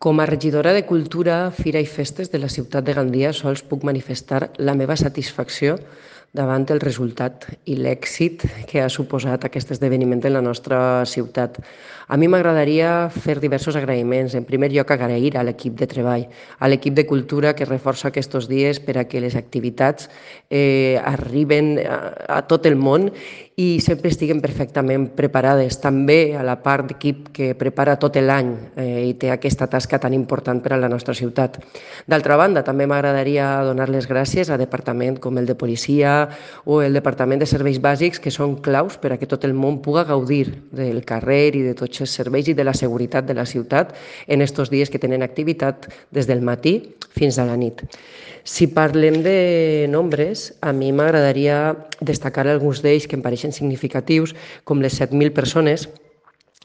Com a regidora de Cultura, Fira i Festes de la ciutat de Gandia sols puc manifestar la meva satisfacció davant el resultat i l'èxit que ha suposat aquest esdeveniment en la nostra ciutat. A mi m'agradaria fer diversos agraïments. En primer lloc, agrair a l'equip de treball, a l'equip de cultura que reforça aquests dies per a que les activitats arriben a tot el món i sempre estiguen perfectament preparades. També a la part d'equip que prepara tot l'any i té aquesta tasca tan important per a la nostra ciutat. D'altra banda, també m'agradaria donar les gràcies a departaments com el de policia o el departament de serveis bàsics, que són claus per a que tot el món pugui gaudir del carrer i de tots els serveis i de la seguretat de la ciutat en aquests dies que tenen activitat des del matí fins a la nit. Si parlem de nombres, a mi m'agradaria destacar alguns d'ells que em pareixen significatius, com les 7.000 persones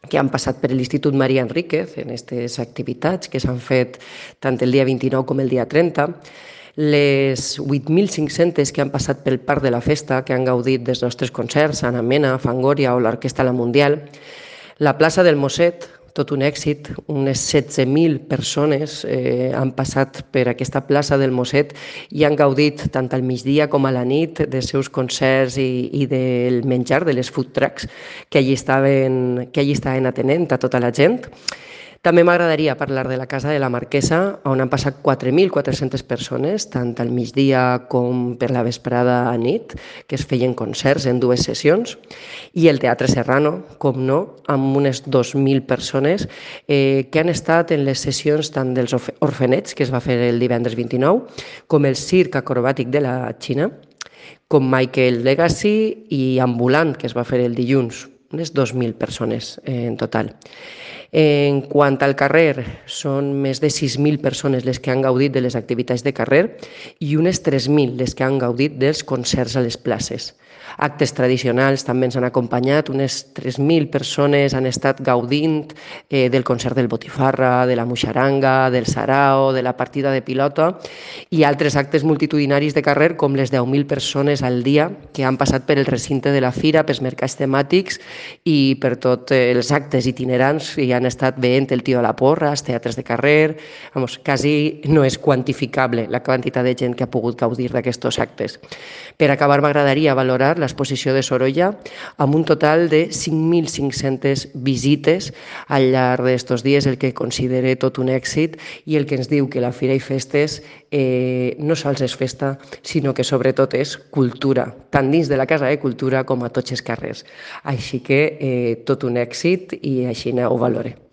que han passat per l'Institut Maria Enríquez en aquestes activitats que s'han fet tant el dia 29 com el dia 30, les 8.500 que han passat pel Parc de la Festa, que han gaudit dels nostres concerts, Anna Mena, Fangoria o l'Orquestra La Mundial, la plaça del Mosset, tot un èxit, unes 16.000 persones han passat per aquesta plaça del Mosset i han gaudit tant al migdia com a la nit dels seus concerts i del menjar, de les food trucks que allí estaven atenent a tota la gent. També m'agradaria parlar de la Casa de la Marquesa, on han passat 4.400 persones, tant al migdia com per la vesprada a nit, que es feien concerts en dues sessions, i el Teatre Serrano, com no, amb unes 2.000 persones que han estat en les sessions tant dels orfenets, que es va fer el divendres 29, com el circ acrobàtic de la Xina, com Michael Legacy i Ambulant, que es va fer el dilluns, unes 2.000 persones en total. En quant al carrer, són més de 6.000 persones les que han gaudit de les activitats de carrer i unes 3.000 les que han gaudit dels concerts a les places. Actes tradicionals també ens han acompanyat, unes 3.000 persones han estat gaudint del concert del Botifarra, de la Muixaranga, del Sarao, de la partida de pilota i altres actes multitudinaris de carrer com les 10.000 persones al dia que han passat per el recinte de la fira, pels mercats temàtics i per tots els actes itinerants i han estat veient el tio a la porra, els teatres de carrer. Quasi no és quantificable la quantitat de gent que ha pogut gaudir d'aquests actes. Per acabar, m'agradaria valorar l'exposició de Sorolla amb un total de 5.500 visites al llarg d'aquests dies, el que considero tot un èxit i el que ens diu que la Fira i Festes no sols és festa, sinó que sobretot és cultura, tant dins de la Casa de Cultura com a tots els carrers. Així que tot un èxit i així ho valorem.